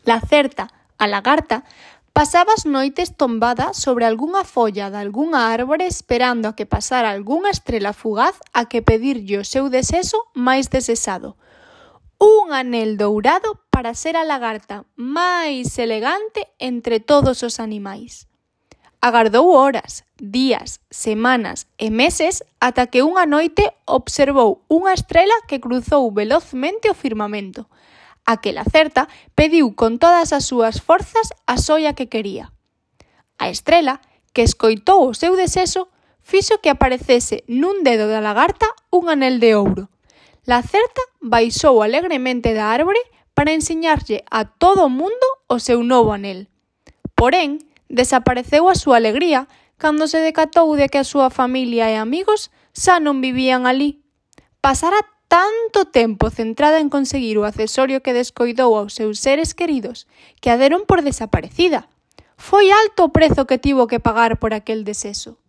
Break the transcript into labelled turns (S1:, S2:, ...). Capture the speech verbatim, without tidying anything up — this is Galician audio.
S1: Lacerta, a lagarta, pasaba as noites tombada sobre algunha folla de algunha árbore esperando a que pasara algunha estrela fugaz a que pedirlle o seu deseso máis desexado. Un anel dourado para ser a lagarta máis elegante entre todos os animais. Agardou horas, días, semanas e meses ata que unha noite observou unha estrela que cruzou velozmente o firmamento. Aquela certa pediu con todas as súas forzas a xoia que quería. A estrela, que escoitou o seu desexo, fixo que aparecese nun dedo da lagarta un anel de ouro. La certa baixou alegremente da árbore para ensiñarlle a todo o mundo o seu novo anel. Porén, desapareceu a súa alegría cando se decatou de que a súa familia e amigos xa non vivían ali. Pasara tanto tempo centrada en conseguir o accesorio que descoidou aos seus seres queridos que a deron por desaparecida. Foi alto o prezo que tivo que pagar por aquel desexo.